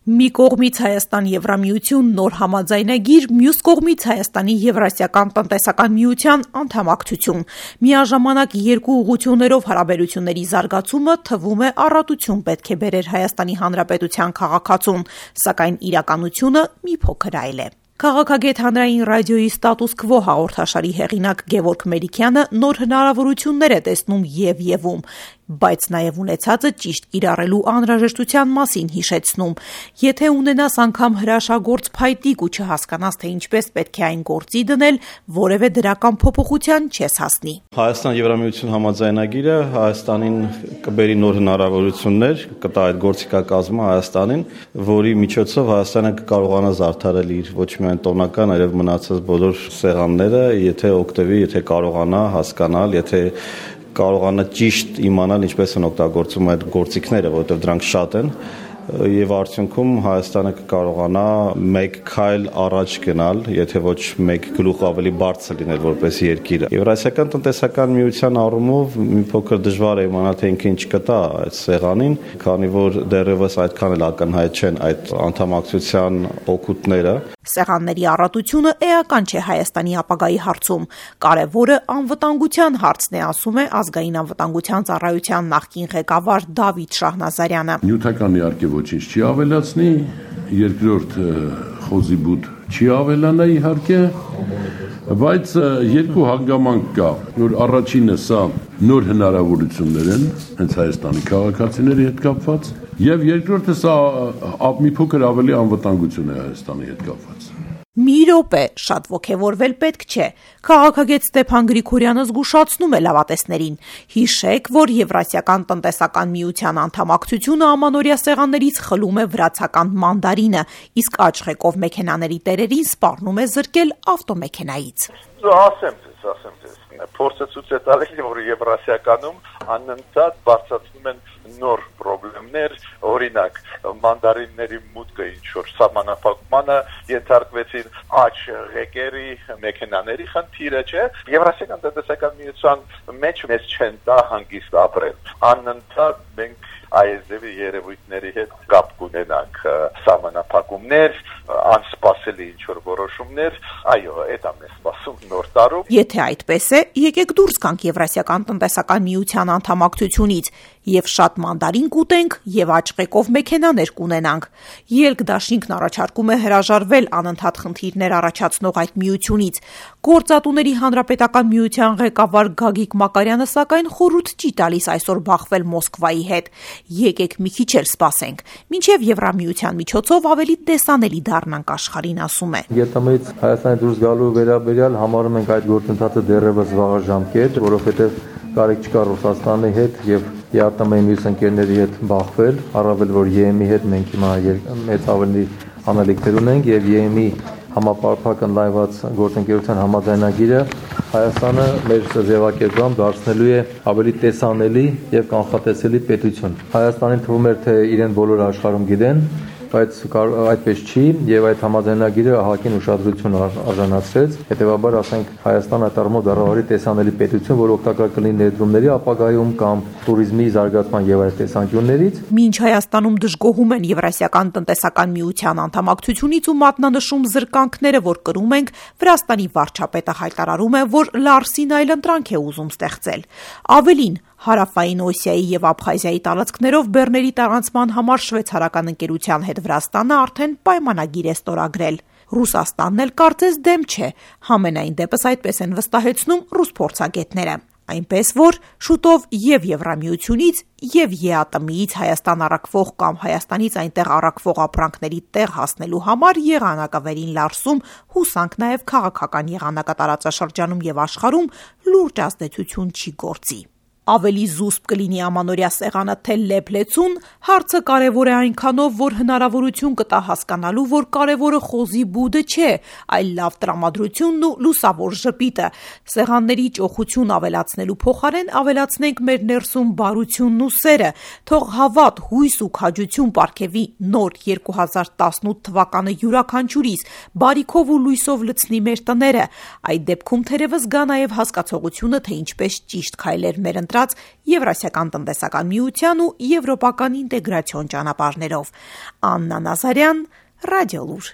Մի կողմից Հայաստան-Եվրամիություն նոր համաձայնագիր, մյուս կողմից Հայաստանի Եվրասիական տնտեսական միության անդամակցություն։ Միաժամանակ երկու ուղղություններով հարաբերությունների զարգացումը թվում է առատություն պետք է բերեր Հայաստանի Հանրապետության քաղաքացուն, սակայն իրականությունը մի փոքր այլ է։ Քաղաքագետ հանրային ռադիոյի «Ստատուս քվո» հաղորդաշարի հեղինակ Գևորգ Մերիքյանը նոր հնարավորություններ է տեսնում և, բայց նաև ունեցածը ճիշտ կիրառելու անհրաժեշտության մասին հիշեցնում։ Եթե ունենաս անգամ հրաշագործ փայտիկ ու չհասկանաս, թե ինչպես պետք է այն գործի դնել, որևէ դրական փոփոխության չես հասնի։ Հայաստան-Եվրամիություն համաձայնագիրը Հայաստանին կբերի նոր հնարավորություններ, կտա այդ գործիքակազմը Հայաստանին, որի միջոցով Հայաստանը կկարողանա զարդարել իր ոչ միայն տոնական, այլև մնացած բոլոր սեղանները, եթե օգտվի, եթե կարողանա հասկանալ, եթե կարողանա ճիշտ իմանալ ինչպես են օգտագործում այդ գործիքները, որովհետև դրանք շատ են, եւ արդյունքում Հայաստանը կկարողանա մեկ քայլ առաջ գնալ, եթե ոչ մեկ գլուխ ավելի բարձր լինել որպես երկիր։ Եվրասիական տնտեսական միության առումով մի փոքր դժվար է իմանալ, թե ինքը ինչ կտա այդ սեղանին, քանի որ դեռևս այդքան էլ ակնհայտ չեն այդ անդամակցության օգուտները։ Սեղանների առատությունը էական չէ Հայաստանի ապագայի հարցում։ Կարևորը անվտանգության հարցն է, ասում է ազգային անվտանգության ծառայության նախկին ղեկավար Դավիթ Շահնազարյանը։ Նյութական իհարկե ոչինչ չի ավելացնի, երկրորդ խոզի բուտ չի ավելանա իհարկե, բայց երկու հանգամանք կա, որ առաջինը սա նոր հնարավորություններ են հենց Հայաստանի քաղաքացիների հետ կապված, եւ երկրորդը սա մի փոքր ավելի անվտանգություն է Հայաստանի հետ կապված։ Մի րոպե, շատ ոգևորվել պետք չէ։ Քաղաքագետ Ստեփան Գրիգորյանը զգուշացնում է լավատեսներին։ Հիշեք, որ Եվրասիական տնտեսական միության անդամակցությունը ամանորյա սեղաններից խլում է վրացական մանդարինը, իսկ աչղեկով մեքենաների տերերին սպառնում է զրկել ավտոմեքենայից։ Ասեմ ձեզ, փորձը ցույց է տալիս, որ Եվրասիականում անընդհատ բարձրացնում են նոր խնդիրներ, օրինակ մանդարինների մուտքը ինչ-որ սահմանափակմանը ենթարկվեցին աչ ղեկերի մեքենաների խնդիրը, չէ։ Եվրասիական տնտեսական միության մեջ մեզ չեն տա հանգիստ ապրել։ Անընդհատ մենք այզևի երևույթների հետ կապ կունենանք, սահմանափակումներ, անսպասելի ինչ-որ որոշումներ, այո, այդ ամեն սպասում նոր տարում։ Եթե այդպես է, եկեք դուրս գանք Եվրասիական տնտեսական միության անդամակցությունից եւ շատ մանդարին կուտենք եւ աչղեկով մեքենաներ կունենանք։ Ելք դաշինքն առաջարկում է հրաժարվել անընդհատ խնդիրներ առաջացնող այդ միությունից։ Գործատուների հանրապետական միության ղեկավար Գագիկ Մակարյանը սակայն խորհուրդ չի տալիս այսօր բախվել Մոսկվայի հետ։ Եկեք մի քիչ էլ սպասենք, մինչև Եվրամիության միջոցով ավելի տեսանելի դառնանք աշխարհին, ասում է։ ԵՏՄ-ից Հայաստանի դուրս գալու վերաբերյալ համարում ենք այդ գործընթացը դեռևս վաղաժամկետ, որովհետև կարիք չկա Ռուսաստանի հետ եւ ԵԱՏՄ-ի մյուս ընկերների հետ բախվել, առավել որ ԵՄ-ի հետ մենք հիմա մեծ ավելի անելիքներ ունենք եւ ԵՄ-ի համապարփակ ընդլայնված գործընկերության համաձայնագիրը Հայաստանը մեր ձևակերպում դարձնելու է ավելի տեսանելի եւ կանխատեսելի պետություն։ Հայաստանին թվում էր, թե իրեն բոլոր աշխարհում գիտեն, բայց այդպես չի եւ այդ համաձայնագիրը ահագին ուշադրություն արժանացրեց։ Հետեւաբար, ասենք, Հայաստանը դառնալու դարավարի տեսանելի պետություն, որ օգտակար կլինի ներդրումների ապագայում կամ туриզմի զարգացման եւ այլ տեսանկյուններից։ Մինչ Հայաստանում դժգոհում են Եվրասիական տնտեսական միության անդամակցությունից ու մատնանշում զրկանքները, որ կրում ենք, Վրաստանի վարչապետը հայտարարում է, որ Լարսին այլընտրանք է ուզում ստեղծել։ Ավելին, Հարավային Օսիայի եւ Աբխազիայի տարածքներով բեռների տարանցման համար շվեյցարական ընկերության հետ Վրաստանը արդեն պայմանագիր է ստորագրել։ Ռուսաստանն էլ կարծես դեմ չէ, համենայն դեպս այդպես են վստահեցնում ռուս փորձագետները։ Այնպես որ շուտով եւ Եվրամիությունից եւ ԵԱՏՄ-ից Հայաստան առաքվող կամ Հայաստանից այնտեղ առաքվող ապրանքների տեղ հասնելու համար եղանակավերին Լարսում հուսանք նաեւ քաղաքական եղանակատարածաշրջանում եւ աշխարհում լուրջ ազդեցություն չի գործի։ Ավելի զուսպ կլինի ամանորյա սեղանը թե լեփլեցուն, հարցը կարևոր է այնքանով, որ հնարավորություն կտա հասկանալու, որ կարևորը խոզի բուդը չէ, այլ լավ տրամադրությունն ու լուսավոր ժպիտը։ Սեղանների ճոխություն ավելացնելու փոխարեն ավելացնենք մեր ներսում բարությունն ու սերը, թող հավատ, հույս ու քաջություն պարգևի նոր 2018 թվականը յուրաքանչյուրիս, բարիքով ու լույսով լցնի մեր տները։ Այդ դեպքում թերևս գա նաև հասկացողությունը, թե ինչպես ճիշտ քայլեր մեր ընտրած Եվրասիական տնտեսական միության ու եվրոպական ինտեգրացիոն ճանապարհներով։ Աննա Նազարյան, Ռադիոլուր։